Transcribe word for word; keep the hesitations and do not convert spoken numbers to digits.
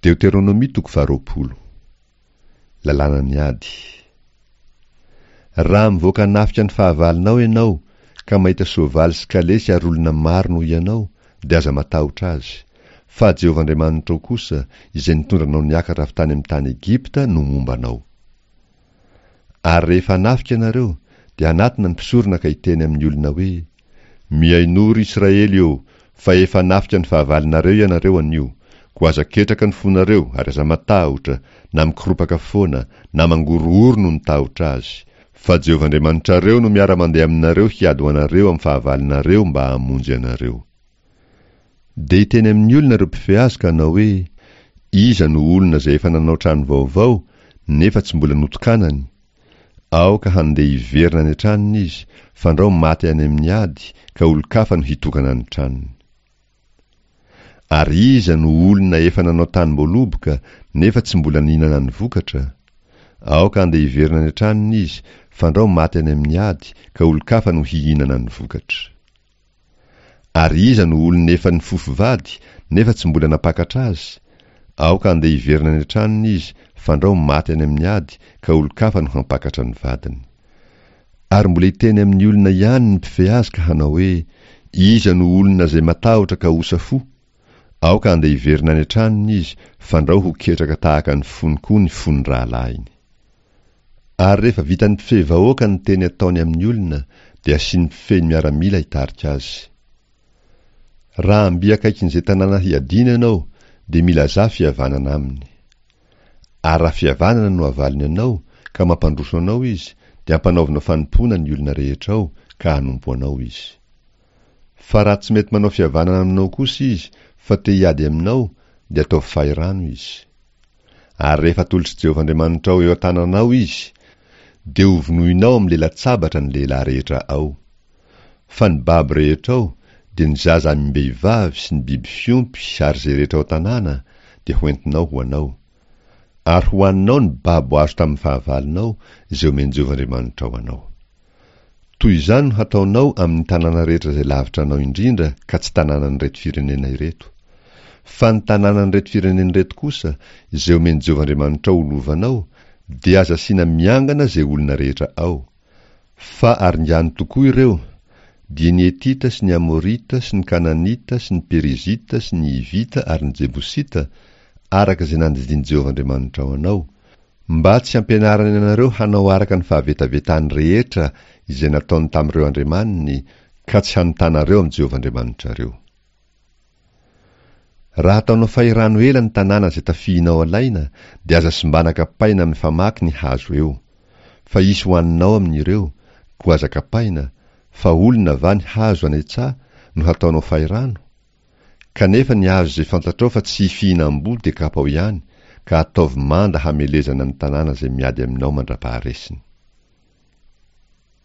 Deoteronomia toko faharoapolo. Lalànan'ny ady. Raha mivoaka hanafika ny fahavalonao ianao, ka mahita soavaly sy kalesy ary olona maro noho ianao, dia aza matahotra azy, fa Jehovah Andriamanitrao kosa, izay nitondra anao niakatra avy tany amin'ny tany Egypta, no momba anao. Ary rehefa hanafika ianareo, dia hanatona ny mpisorona ka hiteny amin'ny olona hoe, Mihainoa, ry Israely ô, fa efa hanafika ny fahavalonareo ianareo anio, koa aza ketraka ny fonareo ary aza matahotra, na mikoropaka foana, na mangorohoro noho ny tahotra azy, fa Jehovah Andriamanitrareo no miara-mandeha aminareo hiady ho anareo amin'ny fahavalonareo mba hamonjy anareo. Dia hiteny amin'ny olona ireo mpifehy azy ka hanao hoe, Iza no olona izay efa nanao trano vaovao, nefa tsy mbola notokanany? Aoka handeha hiverina any an-tranony izy, fandrao maty any amin'ny ady, ka olon-kafa no hitokana ny tranony. Ary iza no olona efa nanao tanim-boaloboka, nefa tsy mbola nihinana ny vokatra? Aoka handeha hiverina any an-tranony izy, fandrao maty any amin'ny ady, ka olon-kafa no hihinana ny vokatra. Ary iza no olona efa nifofo vady, nefa tsy mbola nampakatra azy? Aoka handeha hiverina any an-tranony izy, fandrao maty any amin'ny ady, ka olon-kafa no hampakatra ny vadiny. Ary mbola hiteny amin'ny olona ihany ny mpifehy azy ka hanao hoe, Iza no olona izay matahotra ka osa fo? Aoka handeha hiverina any an-tranony izy, fandrao ho ketraka tahaka ny fony koa ny fon'ny rahalahiny. Ary rehefa vitan'ny mpifehy vahoaka ny teny ataony amin'ny olona, dia asian'ny mpifehy ny miaramila hitarika azy. Raha mby akaikin'izay tanàna hiadiana ianao, dia milazà fihavanana aminy. Ary raha fihavanana no avalony anao, ka mampandroso anao izy, dia ampanaovinao fanompoana ny olona rehetra ao, ka hanompo anao izy. Fa raha tsy mety manao fihavanana aminao kosa izy, fa te hiady aminao, dia ataovy fahirano izy. Ary rehefa atolotr'i Jehovah Andriamanitrao eo an-tananao izy, dia hovonoinao amin'ny lela-tsabatra ny lehilahy rehetra ao. Fa ny babo rehetra ao, dia ny zaza amim-behivavy sy ny biby fiompy ary izay rehetra ao an-tanàna, dia hoentinao ho anao. Ary hohaninao ny babo azo tamin'ny fahavalonao, izay omen'i Jehovah Andriamanitrao anao. Toy izany no hataonao amin'ny tanàna rehetra izay lavitra anao indrindra ka tsy tanànan'ireto firenena ireto. Fa ny tanànan'ireto firenena ireto kosa, izay omen'i Jehovah Andriamanitrao ho lovanao, dia aza asiana miangana izay olona rehetra ao. Fa aringano tokoa ireo, dia ny Hetita sy ny Amorita sy ny Kananita sy ny Perizita sy ny Hivita ary ny Jebosita, araka izay nandidian'i Jehovah Andriamanitrao anao, mba tsy hampianarany anareo hanao araka ny fahavetavetany rehetra izay nataony tamin'ireo andriamaniny, ka tsy hanotanareo amin'i Jehovah Andriamanitrareo. Raha ataonao fahirano ela ny tanàna izay tafihinao alaina, dia aza simbana kapaina amin'ny famaky ny hazo eo. Fa hisy hohaninao amin'ireo, koa aza kapaina, fa olona va ny hazo any an-tsaha no hataonao fahirano? Kanefa ny hazo izay fantatrao fa tsy fihinam-boa dia kapao ihany, ka ataovy manda hamelezana ny tanàna izay miady aminao mandra-paharesiny.